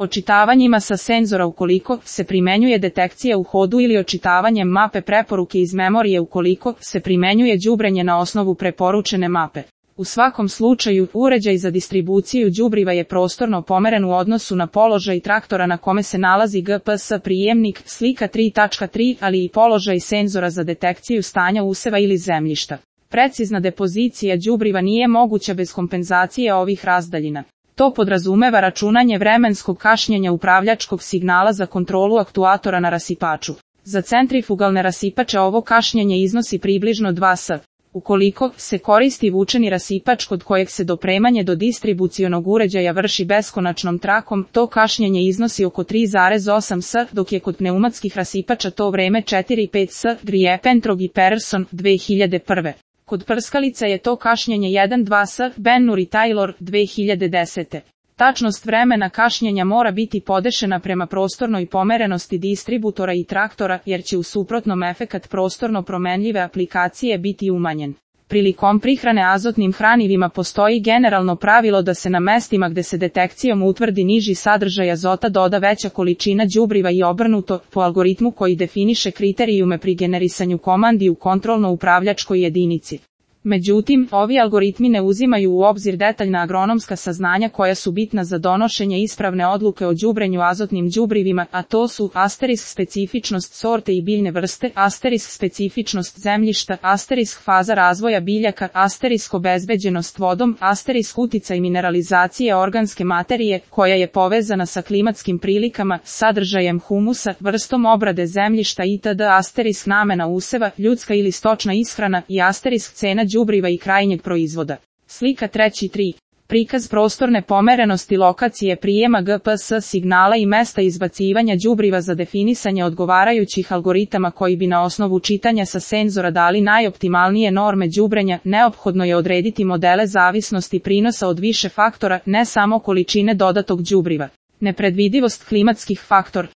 Očitavanjima sa senzora ukoliko se primenjuje detekcija u hodu ili očitavanjem mape preporuke iz memorije ukoliko se primenjuje đubrenje na osnovu preporučene mape. U svakom slučaju, uređaj za distribuciju đubriva je prostorno pomeren u odnosu na položaj traktora na kome se nalazi GPS prijemnik, slika 3.3, ali i položaj senzora za detekciju stanja useva ili zemljišta. Precizna depozicija đubriva nije moguća bez kompenzacije ovih razdaljina. To podrazumeva računanje vremenskog kašnjenja upravljačkog signala za kontrolu aktuatora na rasipaču. Za centrifugalne rasipače ovo kašnjenje iznosi približno 2 s. Ukoliko se koristi vučeni rasipač kod kojeg se dopremanje do distribucionog uređaja vrši beskonačnom trakom, to kašnjenje iznosi oko 3,8 s, dok je kod pneumatskih rasipača to vreme 4,5 s. Griepentrog i Persson, 2001. Kod prskalica je to kašnjenje 1,2 s. Ben-Nur i Taylor, 2010. Tačnost vremena kašnjenja mora biti podešena prema prostornoj pomerenosti distributora i traktora, jer će u suprotnom efekat prostorno promenljive aplikacije biti umanjen. Prilikom prihrane azotnim hranivima postoji generalno pravilo da se na mestima gde se detekcijom utvrdi niži sadržaj azota doda veća količina đubriva i obrnuto, po algoritmu koji definiše kriterijume pri generisanju komandi u kontrolno-upravljačkoj jedinici. Međutim, ovi algoritmi ne uzimaju u obzir detaljna agronomska saznanja koja su bitna za donošenje ispravne odluke o đubrenju azotnim đubrivima, a to su specifičnost sorte i biljne vrste, specifičnost zemljišta, faza razvoja biljaka, obezbeđenost vodom, uticaj mineralizacije organske materije, koja je povezana sa klimatskim prilikama, sadržajem humusa, vrstom obrade zemljišta itd. Namena useva, ljudska ili stočna ishrana i cena đubriva i krajnjeg proizvoda. Slika 3.3. Prikaz prostorne pomerenosti lokacije prijema GPS signala i mesta izbacivanja đubriva za definisanje odgovarajućih algoritama koji bi na osnovu čitanja sa senzora dali najoptimalnije norme đubrenja. Neophodno je odrediti modele zavisnosti prinosa od više faktora, ne samo količine dodatog đubriva. Nepredvidivost klimatskih faktor.